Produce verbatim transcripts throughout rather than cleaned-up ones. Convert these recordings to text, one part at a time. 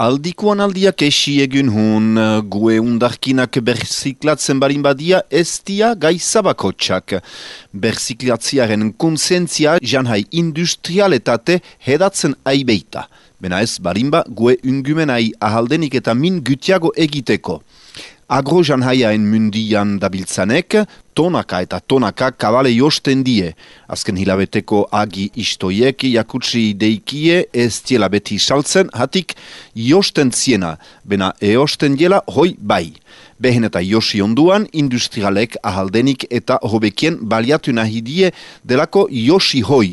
Aldikuan aldiak esi egun hun, gue undarkinak berziklatzen barin badia ez dia gaizabakotxak. Berziklatziaren konsentzia janhai industrialetate hedatzen aibeita. Bena ez barinba gue ungumenai ahaldenik eta min gutiago egiteko. Agro janhaiaen mundian dabiltzanek, tonaka eta tonaka kabale josten die. Azken hilabeteko agi istoiek jakutsi deikie ez diela beti saltzen, hatik josten ziena, bena eosten diela hoi bai. Behen eta josi onduan, industrialek ahaldenik eta hobekien baliatu nahi die delako josi hoi.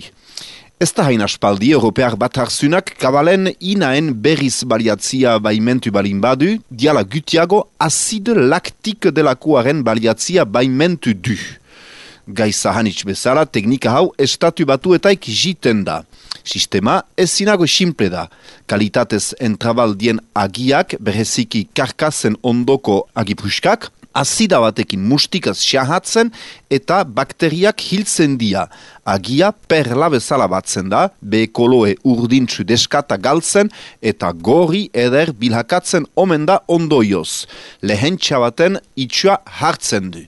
Ez da hain aspaldi, Europear Batarzunak kabalen inaen berriz baliatzia baimentu balin badu, diala gutiago azide laktik delakoaren baliatzia baimentu du. Gaiza hanitz bezala, teknika hau estatu batuetaik jiten da. Sistema ezinago simple da. Kalitatez entrabaldien agiak, bereziki karkasen ondoko agipuskak, azida batekin mustikaz xahatzen eta bakteriak hiltzen dia. Agia perla bezala batzen da, be koloe urdintzu deskata galtzen eta gorri eder bilhakatzen omen da ondoioz. Lehen txabaten itxua hartzen du.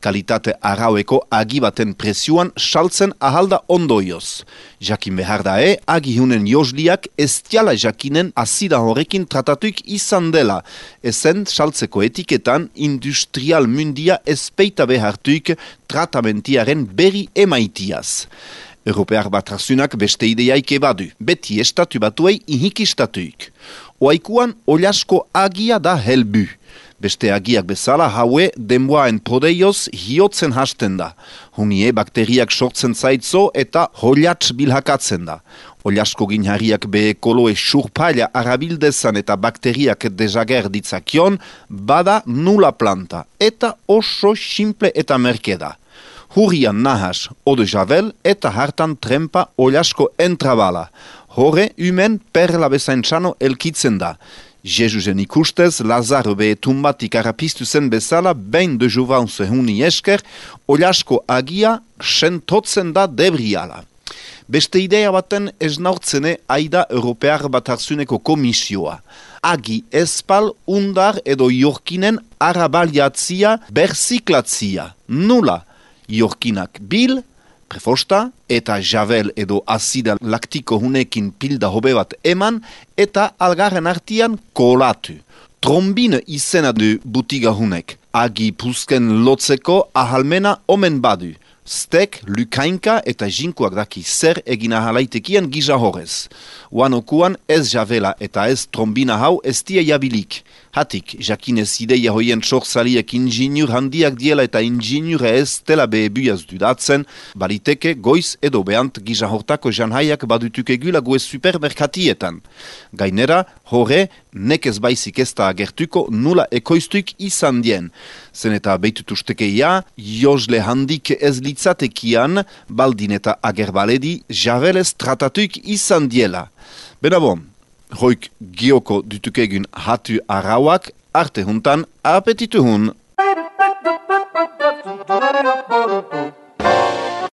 Kalitate araueko agi baten presioan saltzen ahalda ondoioz. Jakin behar da e, agi hunen josliak ez diala jakinen azida horrekin tratatuik izan dela. Ezen saltzeko etiketan industrial mundia ezpeita behartuik tratamentiaren berri emaitiaz. Europear Batarzunak beste ideiaik ebadu, beti estatu batuei ihikistatuik. Oaikuan oliasko agia da helbu. Beste agiak bezala haue denboaen podeioz hiotzen hasten da. Hunie bakteriak sortzen zaitzo eta holiatz bilhakatzen da. Oliasko ginhariak be koloe surpaila arabildezan eta bakteriak dezager ditzakion, bada nula planta eta oso simple eta merke da. Hurrian nahas ode javel eta hartan trempa oliasko entrabala. Hore umen perla bezaintzano elkitzen da. Jesusen ikustez, Lazaro be tumbatik arapistu zen bezala, behin de juvanze huni esker, oliasko agia sentotzen da debriala. Beste idea baten esnaurtzene aida Europear Batarzuneko komisioa. Agi espal undar edo jorkinen arabaliatzia berziklatzia. Nula, jorkinak bil, prefosta, eta javel edo azida laktiko hunekin pilda hobe bat eman, eta algarren artian kolatu. Trombine izena du butiga hunek. Agi pusken lotzeko ahalmena omen badu. Stek, lukainka eta jinkuak daki zer egina halaitekian giza horrez. Uanokuan ez javela eta ez trombina hau ez die jabilik. Hatik, jakinez ideia hoien txorzaliek inginur handiak diela eta inginure ez dela behebuaz dudatzen, baliteke goiz edo behant giza hortako janhaiak badutuke gula gue supermerkatietan. Gainera, horre, nekez baizik ez da agertuko nula ekoiztuik izan dien. Zen eta beitutustekeia, josle handik ez litzatekian, baldin eta agerbaledi, javelez tratatuik izan diela. Bena bon, hoik gioko dutukegun hatu arauak, arte huntan apetitu hun.